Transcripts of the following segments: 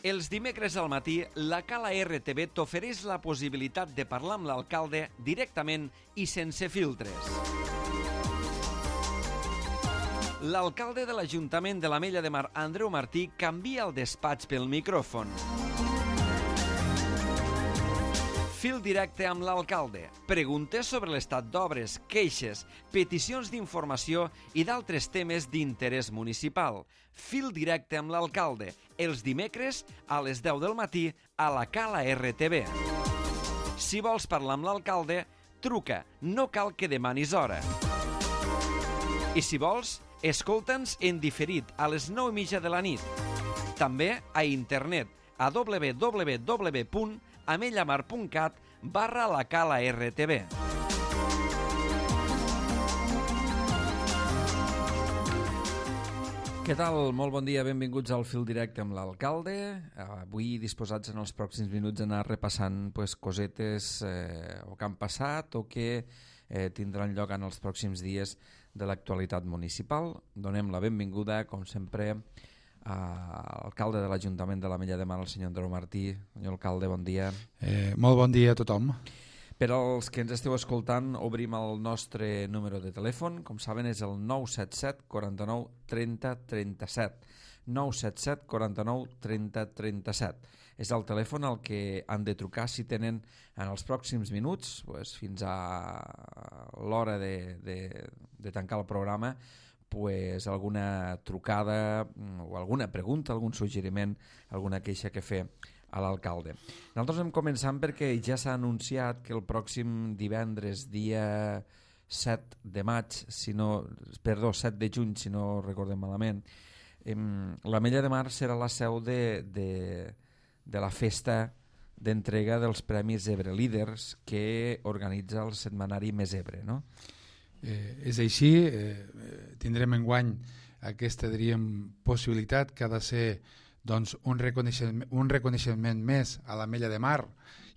Els dimecres al matí, la Cala RTV t'ofereix la possibilitat de parlar amb l'alcalde directament i sense filtres. L'alcalde de l'Ajuntament de l'Ametlla de Mar, Andreu Martí, canvia el despatx pel micròfon. Fil directe amb l'alcalde. Preguntes sobre l'estat d'obres, queixes, peticions d'informació i d'altres temes d'interès municipal. Fil directe amb l'alcalde. Els dimecres a les 10 del matí a la Cala RTV. Si vols parlar amb l'alcalde, truca. No cal que demanis hora. I si vols, escolta'ns en diferit a les 9:30 de la nit. També a internet a www.amellamar.cat/la Cala RTV. Què tal? Molt bon dia, benvinguts al Fil Directe amb l'alcalde. Avui disposats en els pròxims minuts a anar repassant cosetes o que han passat o que tindran lloc en els pròxims dies de l'actualitat municipal. Donem la benvinguda, com sempre, a l'alcalde de l'Ajuntament de l'Ametlla de Mar, el senyor Andreu Martí. Senyor alcalde, bon dia. Molt bon dia a tothom. Per als que ens esteu escoltant, obrim el nostre número de telèfon. Com saben, és el 977 49 30 37. 977 49 30 37. És el telèfon al que han de trucar si tenen en els pròxims minuts, fins a l'hora de tancar el programa, alguna trucada o alguna pregunta, algun suggeriment, alguna queixa que fer a l'alcalde. Nosaltres hem començat perquè ja s'ha anunciat que el pròxim divendres, dia 7 de juny, si no recordem malament, l'Ametlla de Mar serà la seu de la festa d'entrega dels Premis Ebre Líders que organitza el setmanari Més Ebre, no? És així, tindrem enguany aquesta, diríem, possibilitat que ha de ser un reconeixement més a l'Ametlla de Mar,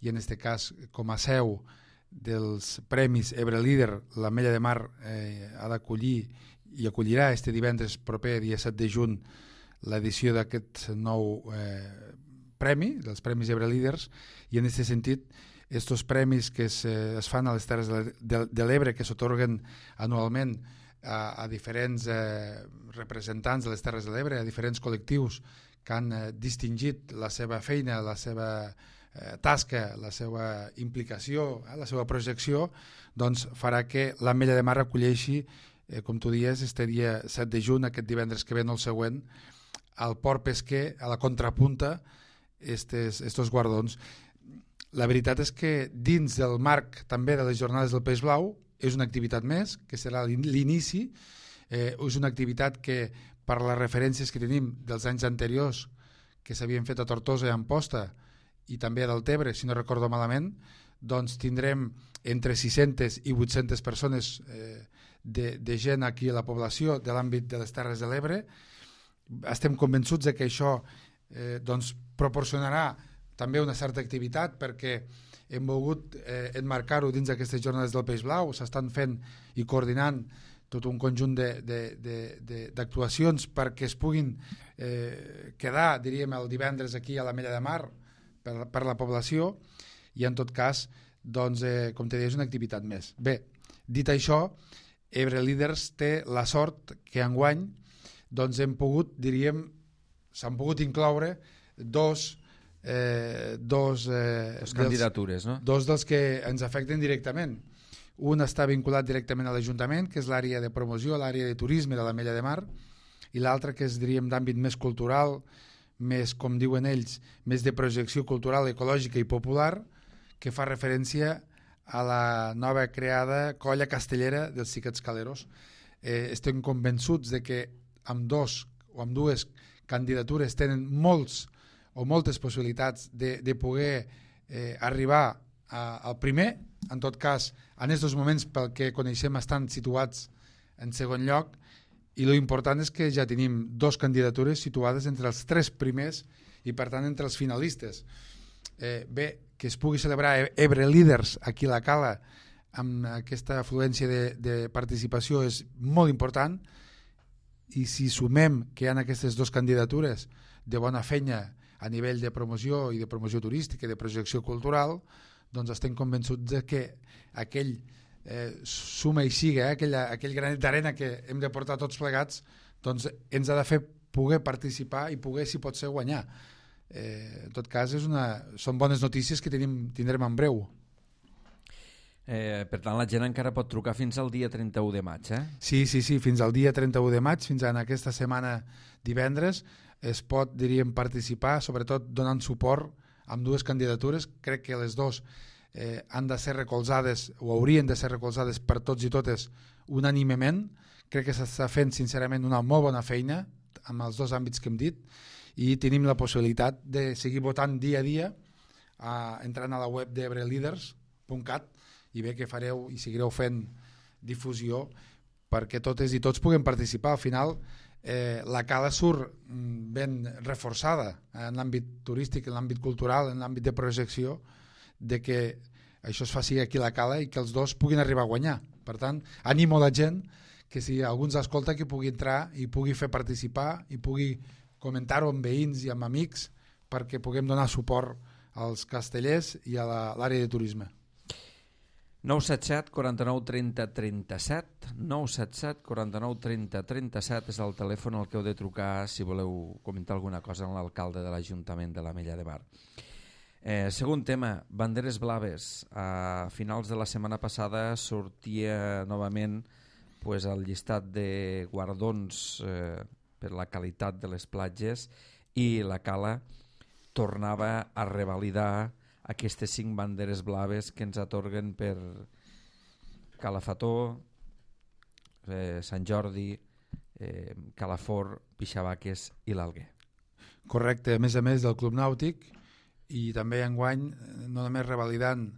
i en aquest cas com a seu dels Premis Ebre Líder, l'Ametlla de Mar ha d'acollir i acollirà este divendres proper, dia 7 de juny, l'edició d'aquest nou premi, dels Premis Ebre Líders, i en aquest sentit estos premis que es fan a les Terres de l'Ebre, que s'atorguen anualment a diferents representants de les Terres de l'Ebre, a diferents col·lectius que han distingit la seva feina, la seva tasca, la seva implicació, la seva projecció, doncs farà que l'Ametlla de Mar acolleixi, com tu dies, este dia 7 de juny, aquest divendres que ve, no el següent, al Port Pesquer, a la Contrapunta, estos guardons. La veritat és que dins del marc també de les Jornades del Peix Blau és una activitat més, que serà l'inici, és una activitat que per les referències que tenim dels anys anteriors que s'havien fet a Tortosa i a Amposta i també a Deltebre, si no recordo malament, doncs tindrem entre 600 i 800 persones de gent aquí a la població de l'àmbit de les Terres de l'Ebre. Estem convençuts que això proporcionarà també una certa activitat, perquè hem volgut enmarcar-ho dins d'aquestes Jornades del Peix Blau. S'estan fent i coordinant tot un conjunt d'actuacions perquè es puguin quedar, diríem, el divendres aquí a l'Ametlla de Mar per la població, i en tot cas, doncs, com te deia, és una activitat més. Bé, dit això, Ebre Líders té la sort que enguany doncs hem pogut, diríem, s'han pogut incloure dos candidatures, no? Dos dels que ens afecten directament. Un està vinculat directament a l'Ajuntament, que és l'àrea de promoció, l'àrea de turisme de l'Ametlla de Mar, i l'altre, que és, diríem, d'àmbit més cultural, més, com diuen ells, més de projecció cultural, ecològica i popular, que fa referència a la nova creada colla castellera dels Xiquets Caleros. Estem convençuts de que amb dues candidatures tenen moltes possibilitats de poder arribar al primer. En tot cas, en aquests moments, pel que coneixem, estan situats en segon lloc, i l'important és que ja tenim dues candidatures situades entre els 3 primers i, per tant, entre els finalistes. Bé, que es pugui celebrar Ebre Líders aquí a la Cala amb aquesta afluència de participació és molt important, i si sumem que hi ha aquestes dues candidatures de bona feina a nivell de promoció i de promoció turística i de projecció cultural, doncs estem convençuts de que aquell suma i siga, aquell granet d'arena que hem de portar tots plegats, doncs ens ha de fer poder participar i poder, si pot ser, guanyar. En tot cas, són bones notícies que tindrem en breu. Per tant, la gent encara pot trucar fins al dia 31 de maig, eh? Sí, fins al dia 31 de maig, fins en aquesta setmana divendres, es pot, diríem, participar, sobretot donant suport amb dues candidatures. Crec que les dues han de ser recolzades o haurien de ser recolzades per tots i totes unànimement. Crec que s'està fent sincerament una molt bona feina amb els dos àmbits que hem dit i tenim la possibilitat de seguir votant dia a dia entrant a la web d'ebreleaders.cat i bé que fareu i seguireu fent difusió perquè totes i tots puguem participar. Al final la cala surt ben reforçada en l'àmbit turístic, en l'àmbit cultural, en l'àmbit de projecció, de que això es faci aquí a la cala i que els dos puguin arribar a guanyar. Per tant, animo a la gent que si algú ens escolta que pugui entrar i pugui fer participar i pugui comentar-ho amb veïns i amb amics perquè puguem donar suport als castellers i a l'àrea de turisme. 977 49 30 37 977 49 30 37 és el telèfon al que heu de trucar si voleu comentar alguna cosa amb l'alcalde de l'Ajuntament de l'Ametlla de Mar. Segon tema, banderes blaves. A finals de la setmana passada sortia novament el llistat de guardons per la qualitat de les platges i la Cala tornava a revalidar aquestes 5 banderes blaves que ens atorguen per Calafató, Sant Jordi, Calafort, Pixabaques i l'Alguer. Correcte, a més del Club Nàutic i també enguany no només revalidant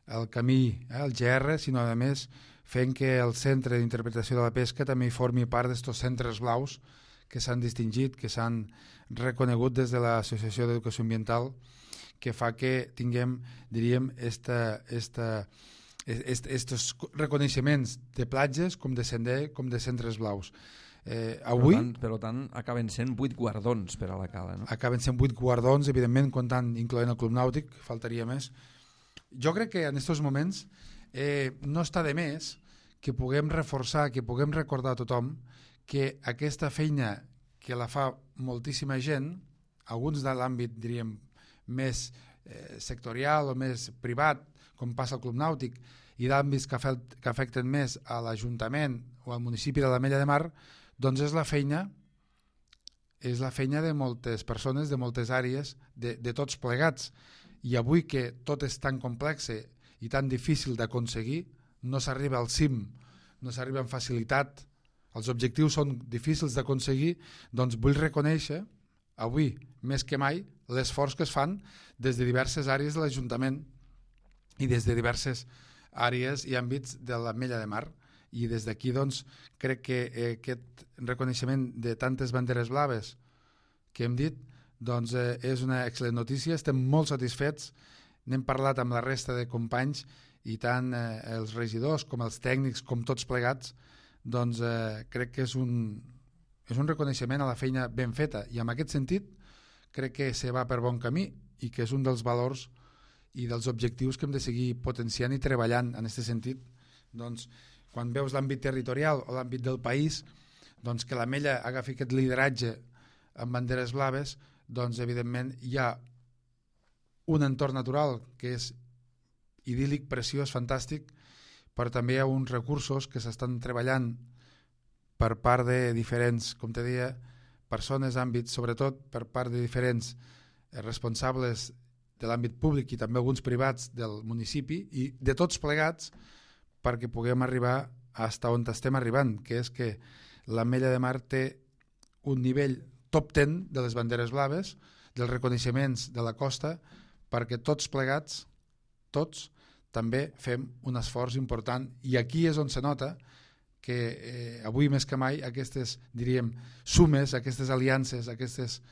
el camí, el GR, sinó a més fent que el Centre d'Interpretació de la Pesca també formi part d'estos centres blaus que s'han distingit, que s'han reconegut des de l'Associació d'Educació Ambiental, que fa que tinguem, diríem, estos reconeixements de platges com de sender, com de centres blaus. Avui, per tant, acaben sent 8 guardons per a la Cala, no? Acaben sent 8 guardons, evidentment, incloent el Club Nàutic, faltaria més. Jo crec que en aquests moments no està de més que puguem reforçar, que puguem recordar a tothom que aquesta feina que la fa moltíssima gent, alguns de l'àmbit, diríem, més sectorial o més privat, com passa al Club Nàutic, i d'àmbits que afecten més a l'Ajuntament o al municipi de l'Ametlla de Mar, doncs és la feina de moltes persones, de moltes àrees, de tots plegats. I avui que tot és tan complex i tan difícil d'aconseguir, no s'arriba al cim, no s'arriba amb facilitat, els objectius són difícils d'aconseguir, doncs vull reconèixer, avui més que mai, l'esforç que es fan des de diverses àrees de l'Ajuntament i des de diverses àrees i àmbits de l'Ametlla de Mar. I des d'aquí doncs, crec que aquest reconeixement de tantes banderes blaves que hem dit doncs, és una excel·lent notícia, estem molt satisfets, n'hem parlat amb la resta de companys i tant els regidors com els tècnics com tots plegats, doncs crec que és un reconeixement a la feina ben feta i en aquest sentit crec que se va per bon camí i que és un dels valors i dels objectius que hem de seguir potenciant i treballant en aquest sentit. Doncs quan veus l'àmbit territorial o l'àmbit del país, doncs que l'Ametlla agafi aquest lideratge amb banderes blaves, doncs evidentment hi ha un entorn natural que és idíl·lic, preciós, fantàstic, però també hi ha uns recursos que s'estan treballant per part de diferents, com te deia, persones, àmbits, sobretot per part de diferents responsables de l'àmbit públic i també alguns privats del municipi i de tots plegats perquè puguem arribar fins on estem arribant, que és que l'Ametlla de Mar té un nivell top 10 de les banderes blaves, dels reconeixements de la costa, perquè tots plegats, tots, també fem un esforç important i aquí és on se nota que avui més que mai aquestes, diríem, sumes, aquestes aliances, aquestes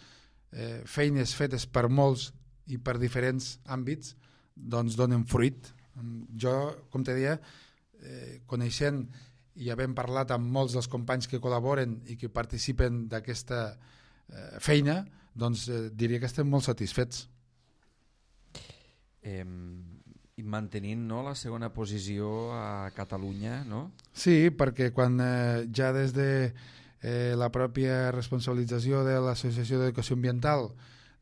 feines fetes per molts i per diferents àmbits, doncs donen fruit. Jo, com te deia, coneixent i havent parlat amb molts dels companys que col·laboren i que participen d'aquesta feina, doncs diria que estem molt satisfets. I mantenint, no, la segona posició a Catalunya, no? Sí, perquè quan ja des de la pròpia responsabilització de l'Associació d'Educació Ambiental,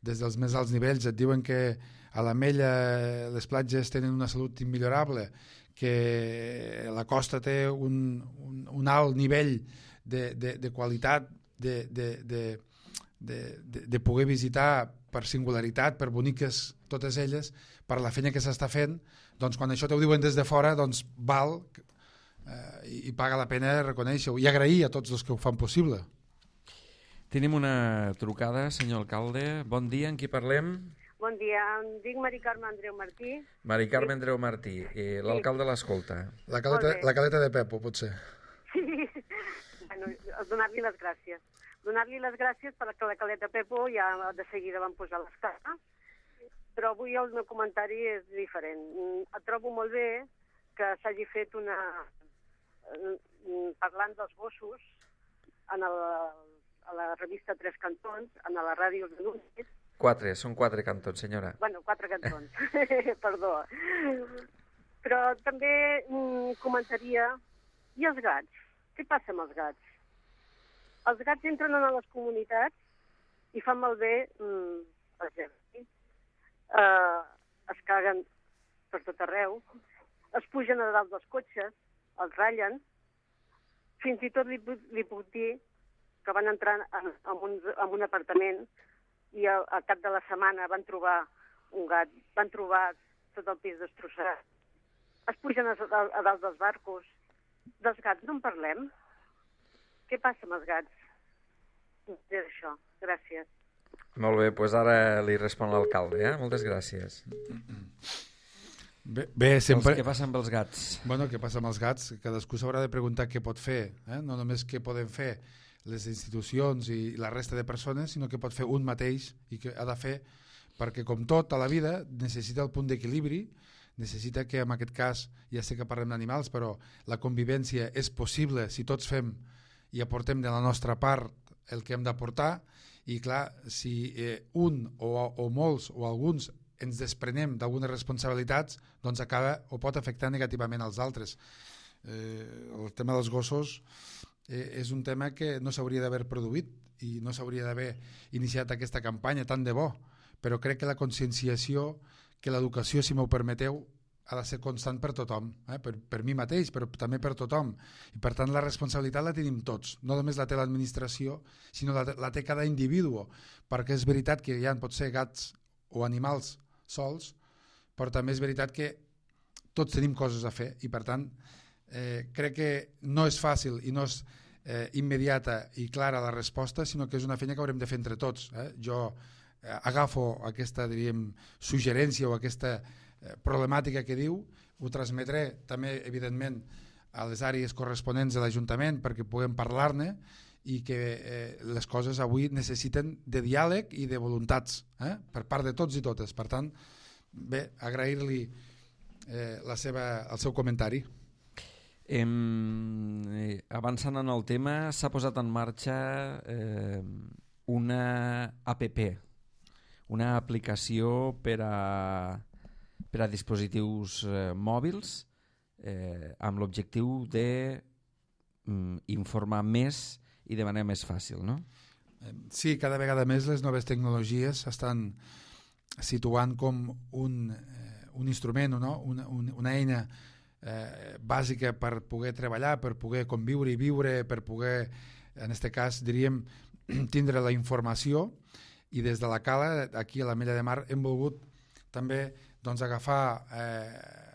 des dels més alts nivells, et diuen que a l'Ametlla les platges tenen una salut immillorable, que la costa té un alt nivell de qualitat, de poder visitar per singularitat, per boniques totes elles, per la feina que s'està fent, doncs quan això t'ho diuen des de fora, doncs val i paga la pena reconèixer-ho i agrair a tots els que ho fan possible. Tenim una trucada, senyor alcalde. Bon dia, amb qui parlem? Bon dia, em dic Mari Carme Andreu Martí. Mari Carme Andreu Martí, l'alcalde l'escolta. La caleta de Pepo, potser. Sí, bueno, donar-li les gràcies. Donar-li les gràcies perquè la caleta Pepo ja de seguida van posar l'escala, però avui el meu comentari és diferent. Trobo molt bé que s'hagi fet parlant dels gossos a la revista Tres Cantons, a la ràdio de Núñez. Són 4 cantons, senyora. Bueno, 4 cantons, perdó. Però també comentaria, i els gats? Què passa amb els gats? Els gats entren a les comunitats i fan malbé el jardí. Es caguen per tot arreu, es pugen a dalt dels cotxes, els ratllen. Fins i tot li puc dir que van entrar en un apartament i al cap de la setmana van trobar un gat, van trobar tot el pis destrossat. Es pugen a dalt dels barcos. Dels gats no en parlem? Què passa amb els gats? És això. Gràcies. Molt bé, doncs ara li respon l'alcalde, Moltes gràcies. Bé, sempre... Què passa amb els gats? Bueno, què passa amb els gats? Cadascú s'haurà de preguntar què pot fer, no només què poden fer les institucions i la resta de persones, sinó que pot fer un mateix i que ha de fer, perquè com tot a la vida necessita el punt d'equilibri, necessita que en aquest cas, ja sé que parlem d'animals, però la convivència és possible si tots fem i aportem de la nostra part el que hem d'aportar, i clar, si un o molts o alguns ens desprenem d'algunes responsabilitats, doncs acaba o pot afectar negativament als altres. El tema dels gossos és un tema que no s'hauria d'haver produït i no s'hauria d'haver iniciat aquesta campanya, tant de bo, però crec que la conscienciació, que l'educació, si m'ho permeteu, ha de ser constant per tothom, per mi mateix, però també per tothom. I per tant la responsabilitat la tenim tots, no només la té l'administració, sinó la té cada individu, perquè és veritat que hi ha potser gats o animals sols, però també és veritat que tots tenim coses a fer i per tant crec que no és fàcil i no és immediata i clara la resposta, sinó que és una feina que haurem de fer entre tots. Jo agafo aquesta, diríem, suggerència o aquesta problemàtica que diu, ho transmetré també, evidentment, a les àrees corresponents de l'Ajuntament perquè puguem parlar-ne i que les coses avui necessiten de diàleg i de voluntats per part de tots i totes. Per tant, bé, agrair-li el seu comentari. Avançant en el tema, s'ha posat en marxa una APP, una aplicació per a dispositius mòbils amb l'objectiu d'informar més i de manera més fàcil, no? Sí, cada vegada més les noves tecnologies s'estan situant com un instrument, no? una eina bàsica per poder treballar, per poder conviure i viure, per poder, en aquest cas, diríem, tindre la informació, i des de la Cala, aquí a l'Ametlla de Mar, hem volgut també agafar,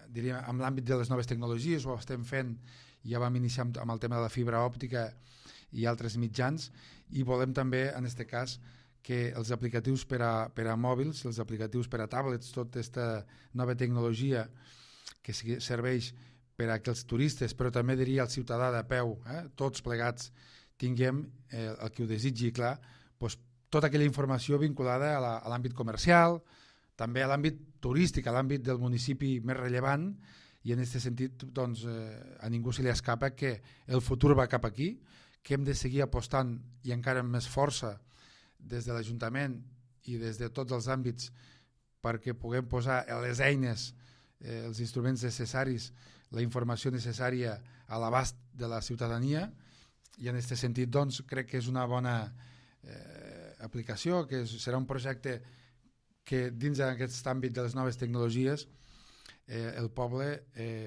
diríem, amb l'àmbit de les noves tecnologies, ho estem fent, ja vam iniciar amb el tema de la fibra òptica i altres mitjans, i volem també, en aquest cas, que els aplicatius per a mòbils, els aplicatius per a tablets, tota aquesta nova tecnologia que serveix per a que els turistes, però també diria el ciutadà de peu, tots plegats, tinguem el que ho desitgi, clar, tota aquella informació vinculada a l'àmbit comercial, també a l'àmbit turístic, a l'àmbit del municipi més rellevant, i en aquest sentit a ningú se li escapa que el futur va cap aquí, que hem de seguir apostant i encara amb més força des de l'Ajuntament i des de tots els àmbits perquè puguem posar les eines, els instruments necessaris, la informació necessària a l'abast de la ciutadania, i en aquest sentit doncs, crec que és una bona aplicació, que serà un projecte que dins d'aquest àmbit de les noves tecnologies el poble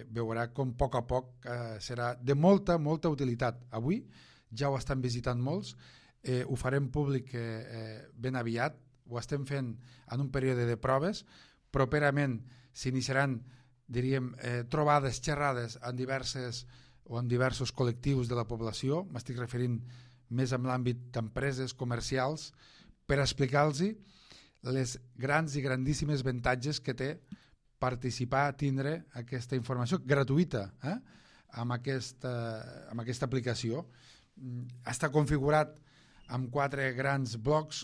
veurà com a poc serà de molta utilitat. Avui ja ho estan visitant molts, ho farem públic ben aviat, ho estem fent en un període de proves, properament s'iniciaran, diríem, trobades, xerrades en diversos col·lectius de la població, m'estic referint més en l'àmbit d'empreses comercials, per explicar-los les grans i grandíssimes avantatges que té participar, tindre aquesta informació gratuïta amb aquesta aplicació. Està configurat amb 4 grans blocs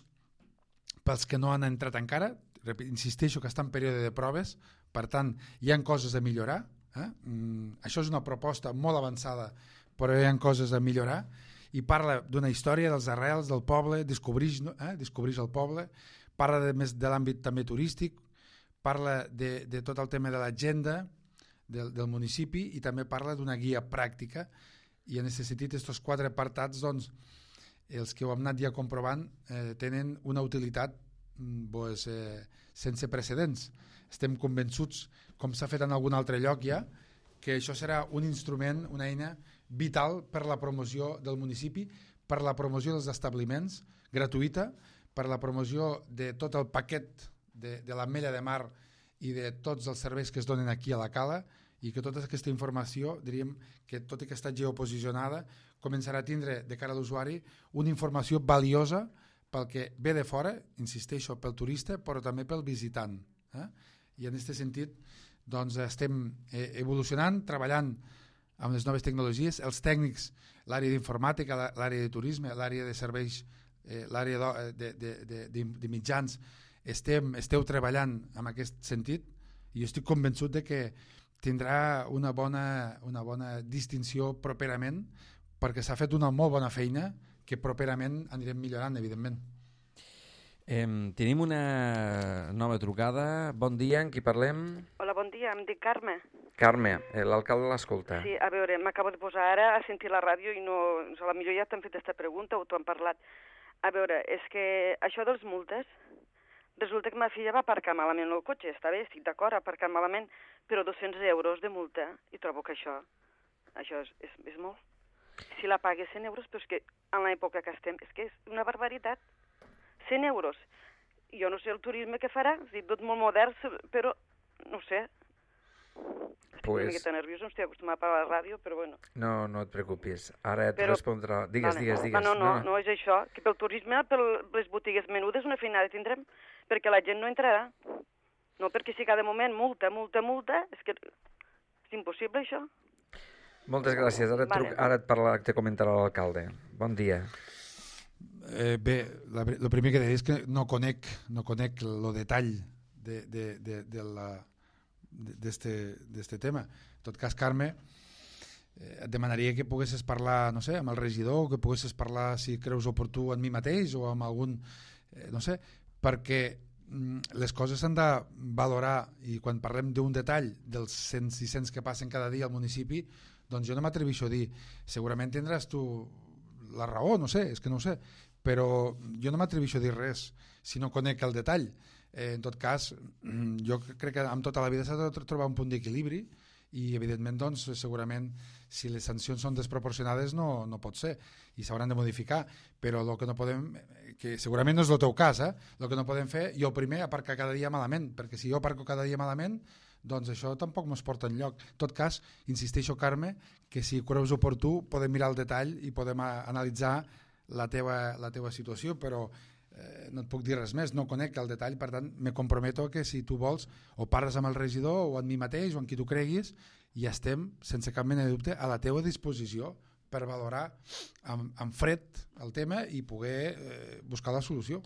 pels que no han entrat encara. Insisteixo que està en període de proves, per tant hi ha coses a millorar. Això és una proposta molt avançada, però hi ha coses a millorar, i parla d'una història dels arrels del poble, descobreix el poble, parla més de l'àmbit també turístic, parla de tot el tema de l'agenda del municipi, i també parla d'una guia pràctica, i en aquest sentit aquests 4 apartats, doncs, els que ho hem anat ja comprovant, tenen una utilitat sense precedents. Estem convençuts, com s'ha fet en algun altre lloc ja, que això serà un instrument, una eina vital per la promoció del municipi, per la promoció dels establiments, gratuïta, per la promoció de tot el paquet de l'Ametlla de Mar i de tots els serveis que es donen aquí a la Cala, i que tota aquesta informació, diríem que tot i que està geoposicionada, començarà a tindre de cara a l'usuari una informació valiosa pel que ve de fora, insisteixo, pel turista, però també pel visitant. I en aquest sentit doncs, estem evolucionant, treballant amb les noves tecnologies, els tècnics, l'àrea d'informàtica, l'àrea de turisme, l'àrea de serveis, l'àrea de mitjans, esteu treballant en aquest sentit, i estic convençut de que tindrà una bona distinció properament, perquè s'ha fet una molt bona feina que properament anirem millorant, evidentment. Tenim una nova trucada. Bon dia, amb qui parlem? Hola, bon dia, em dic Carme. Carme, l'alcalde l'escolta. Sí, a veure, m'acabo de posar ara a sentir la ràdio i no, a la millor ja t'han fet aquesta pregunta o t'ho han parlat. A veure, és que això dels multes, resulta que ma filla va aparcar malament el cotxe, està bé, estic d'acord, aparcar malament, però 200 euros de multa, i trobo que això és molt. Si la pague 100 euros, però és que en l'època que estem, és que és una barbaritat. 100 euros. Jo no sé el turisme que farà, és dir, tot molt modern, però no sé. Estic una miqueta nerviosa, no estic acostumat a la ràdio, però bueno. No et preocupis, ara et respondrà. Digues. No, és això, que pel turisme, per les botigues menudes, una feinada tindrem, perquè la gent no entrarà. No, perquè si cada moment multa, és que és impossible això. Moltes gràcies, ara te comentarà l'alcalde. Bon dia. Bé, el primer que diré és que no conec el detall d'este tema. En tot cas, Carme, et demanaria que poguessis parlar, no sé, amb el regidor, que poguessis parlar, si creus oportú, amb mi mateix o amb algun, no sé, perquè les coses s'han de valorar, i quan parlem d'un detall dels 100-600 que passen cada dia al municipi, doncs jo no m'atreveixo a dir, segurament tindràs tu la raó, no sé, és que no ho sé, però jo no m'atreveixo a dir res si no conec el detall. En tot cas, jo crec que amb tota la vida s'ha de trobar un punt d'equilibri, i evidentment doncs, segurament si les sancions són desproporcionades no pot ser i s'hauran de modificar, però el que no podem, que segurament no és el teu cas, el que no podem fer, jo primer aparcar cada dia malament, perquè si jo aparco cada dia malament, doncs això tampoc mos porta enlloc. En tot cas, insisteixo, Carme, que si creus oportú podem mirar el detall i podem analitzar la teva situació, però no et puc dir res més, no conec el detall, per tant me comprometo que si tu vols o parles amb el regidor o amb mi mateix o amb qui tu creguis, i estem sense cap mena de dubte a la teva disposició per valorar amb fred el tema i poder buscar la solució.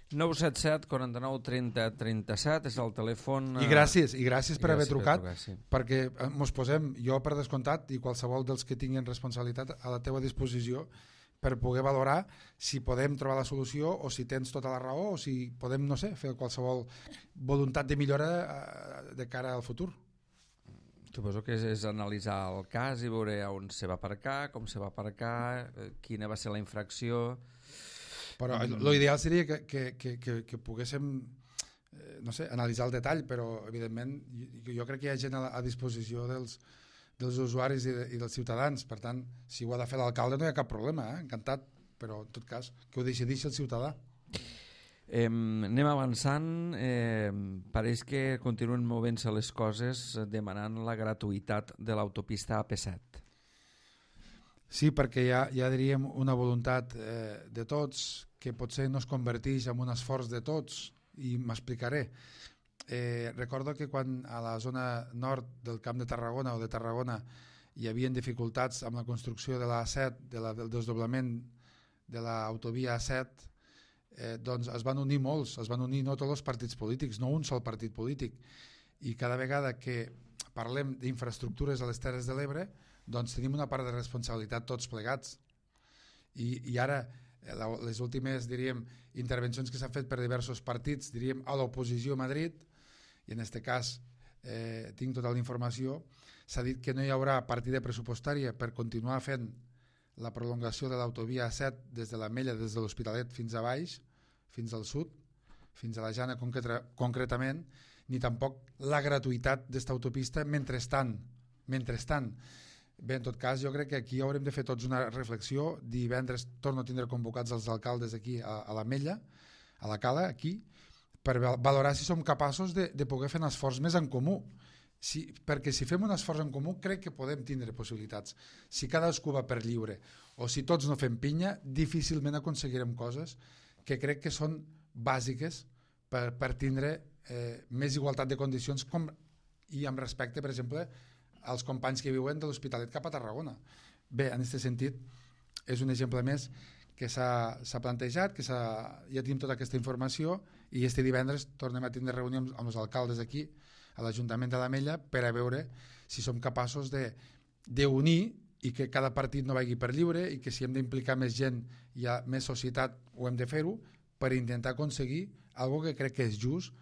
977 49 30 37 és el telèfon. I gràcies per haver trucat, perquè mos posem, jo per descomptat i qualsevol dels que tinguin responsabilitat, a la teva disposició per poder valorar si podem trobar la solució o si tens tota la raó o si podem, no sé, fer qualsevol voluntat de millora de cara al futur. Suposo que és analitzar el cas i veure on se va aparcar, com se va aparcar, quina va ser la infracció. Però l'ideal seria que poguéssim no sé, analitzar el detall, però evidentment jo crec que hi ha gent a disposició dels usuaris i dels ciutadans, per tant, si ho ha de fer l'alcalde no hi ha cap problema, encantat, però en tot cas que ho decideixi el ciutadà. Anem avançant, pareix que continuen movent-se les coses demanant la gratuïtat de l'autopista AP7. Sí, perquè hi ha diríem una voluntat de tots que potser no es converteix en un esforç de tots, i m'explicaré. Recordo que quan a la zona nord del Camp de Tarragona o de Tarragona hi havia dificultats amb la construcció de l'A7, del desdoblament de l'autovia A7, doncs es van unir molts, es van unir no tots els partits polítics, no un sol partit polític, i cada vegada que parlem d'infraestructures a les Terres de l'Ebre, doncs tenim una part de responsabilitat tots plegats. I ara les últimes, diríem, intervencions que s'han fet per diversos partits, diríem, a l'oposició a Madrid, i en aquest cas tinc tota la informació, s'ha dit que no hi haurà partida pressupostària per continuar fent la prolongació de l'autovia A7 des de l'Ametlla, des de l'Hospitalet fins a baix, fins al sud, fins a la Jana concretament, ni tampoc la gratuïtat d'esta autopista mentrestant. Bé, en tot cas, jo crec que aquí haurem de fer tots una reflexió. Divendres torno a tindre convocats els alcaldes aquí a l'Ametlla, a la Cala, aquí, per valorar si som capaços de poder fer un esforç més en comú. Perquè si fem un esforç en comú crec que podem tindre possibilitats. Si cadascú va per lliure o si tots no fem pinya, difícilment aconseguirem coses que crec que són bàsiques per tindre més igualtat de condicions i amb respecte, per exemple, als companys que viuen de l'Hospitalet cap a Tarragona. Bé, en aquest sentit, és un exemple més que s'ha plantejat, que ja tenim tota aquesta informació i este divendres tornem a tindre reunió amb els alcaldes aquí, a l'Ajuntament de l'Ametlla, per a veure si som capaços d'unir i que cada partit no vagi per lliure i que si hem d'implicar més gent i més societat ho hem de fer-ho per intentar aconseguir algo que crec que és just,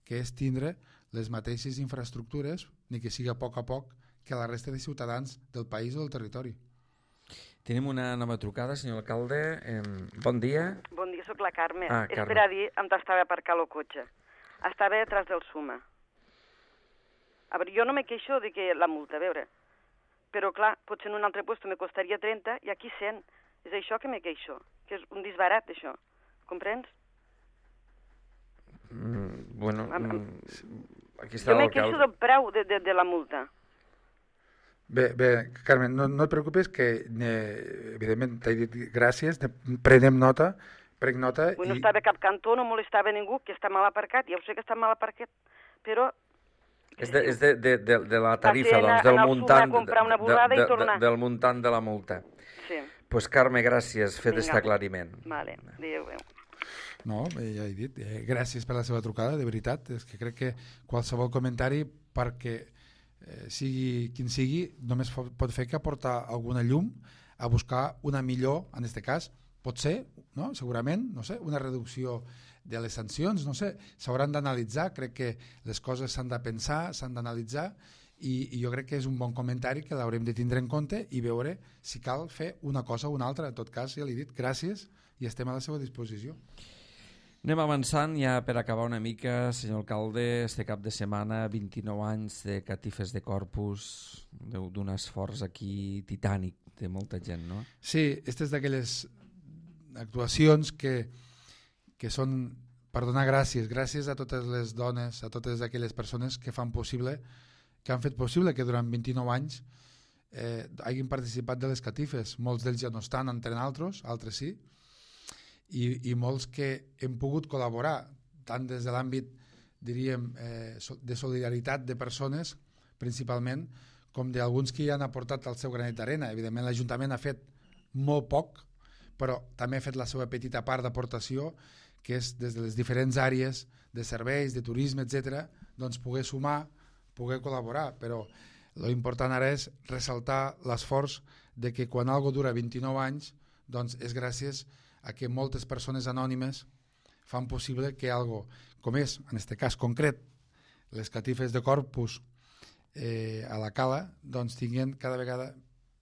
que és tindre les mateixes infraestructures, ni que siga a poc, que la resta de ciutadans del país o del territori. Tenim una nova trucada, senyor alcalde. Bon dia. Bon dia, soc la Carme. Carme. És per a dir on estava aparcat el cotxe. Estava detrás del Suma. A veure, jo no me queixo de que la multa, a veure, però clar, potser en un altre lloc me costaria 30 i aquí 100. És això que me queixo, que és un disbarat, això. Comprens? Bueno, aquí està jo me l'alcalde. queixo del preu de la multa. Bé, Carmen, no et preocupis que, evidentment, t'he dit gràcies, prenc nota. No estava cap cantó, no molestava ningú, que està mal aparcat, ja ho sé que està mal aparcat, però... És de la tarifa, doncs, del muntant de la multa. Sí. Doncs Carme, gràcies, fet aquest aclariment. Vale, adéu. No, ja he dit, gràcies per la seva trucada, de veritat, és que crec que qualsevol comentari, perquè sigui quin sigui, només pot fer que aportar alguna llum a buscar una millor, en aquest cas, pot ser, no? Segurament, no sé, una reducció de les sancions, no sé, s'hauran d'analitzar, crec que les coses s'han de pensar, s'han d'analitzar, i jo crec que és un bon comentari que l'haurem de tindre en compte i veure si cal fer una cosa o una altra. En tot cas, ja l'he dit, gràcies i estem a la seva disposició. Anem avançant ja per acabar una mica, senyor alcalde, este cap de setmana, 29 anys de catifes de Corpus, d'un esforç aquí titànic de molta gent, no? Sí, aquestes d'aquelles actuacions que són per donar gràcies a totes les dones, a totes aquelles persones que fan possible, que han fet possible que durant 29 anys hagin participat de les catifes. Molts d'ells ja no estan entre altres sí, i molts que hem pogut col·laborar, tant des de l'àmbit, diríem, de solidaritat de persones, principalment, com d'alguns que hi han aportat el seu granet d'arena. Evidentment, l'Ajuntament ha fet molt poc, però també ha fet la seva petita part d'aportació, que és des de les diferents àrees de serveis, de turisme, etc., doncs poder sumar, poder col·laborar. Però l'important ara és ressaltar l'esforç de que quan algo dura 29 anys, doncs és gràcies a que moltes persones anònimes fan possible que algo, com és, en aquest cas concret, les catifes de Corpus a la Cala, doncs tinguin cada vegada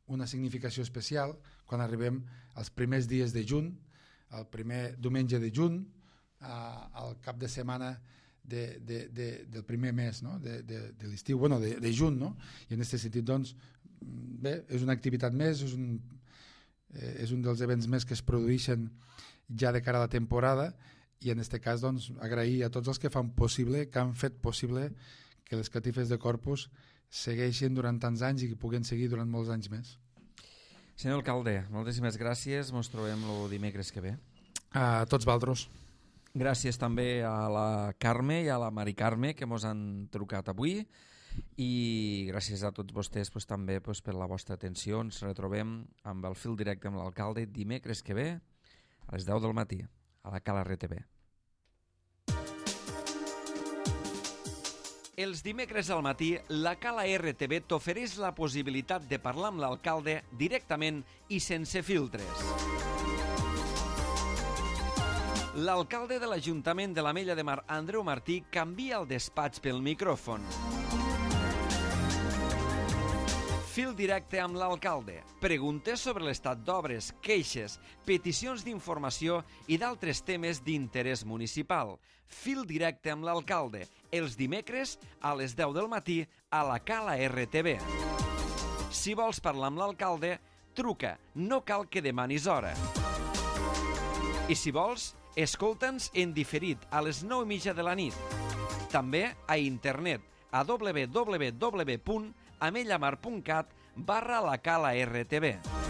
una significació especial quan arribem als primers dies de juny, el primer diumenge de juny, al cap de setmana del primer mes, no? de l'estiu, bueno, de juny, no? I en aquest sentit, doncs, bé, és una activitat més, és un dels events més que es produeixen ja de cara a la temporada, i en aquest cas, doncs, agrair a tots els que fan possible, que han fet possible que les catifes de Corpus segueixin durant tants anys i que puguen seguir durant molts anys més. Senyor alcalde, moltíssimes gràcies, ens trobem el dimecres que ve. A tots vosaltres. Gràcies també a la Carme i a la Mari Carme que ens han trucat avui, i gràcies a tots vostès també per la vostra atenció. Ens retrobem amb el fil directe amb l'alcalde dimecres que ve a les 10 del matí a la Cala RTV. Els dimecres al matí, la Cala RTV t'ofereix la possibilitat de parlar amb l'alcalde directament i sense filtres. L'alcalde de l'Ajuntament de l'Ametlla de Mar, Andreu Martí, canvia el despatx pel micròfon. Fil directe amb l'alcalde. Preguntes sobre l'estat d'obres, queixes, peticions d'informació i d'altres temes d'interès municipal. Fil directe amb l'alcalde. Els dimecres a les 10 del matí a la Cala RTV. Si vols parlar amb l'alcalde, truca. No cal que demanis hora. I si vols, escolta'ns en diferit a les 9:30 de la nit. També a internet a www.amellamar.cat/la Cala RTV.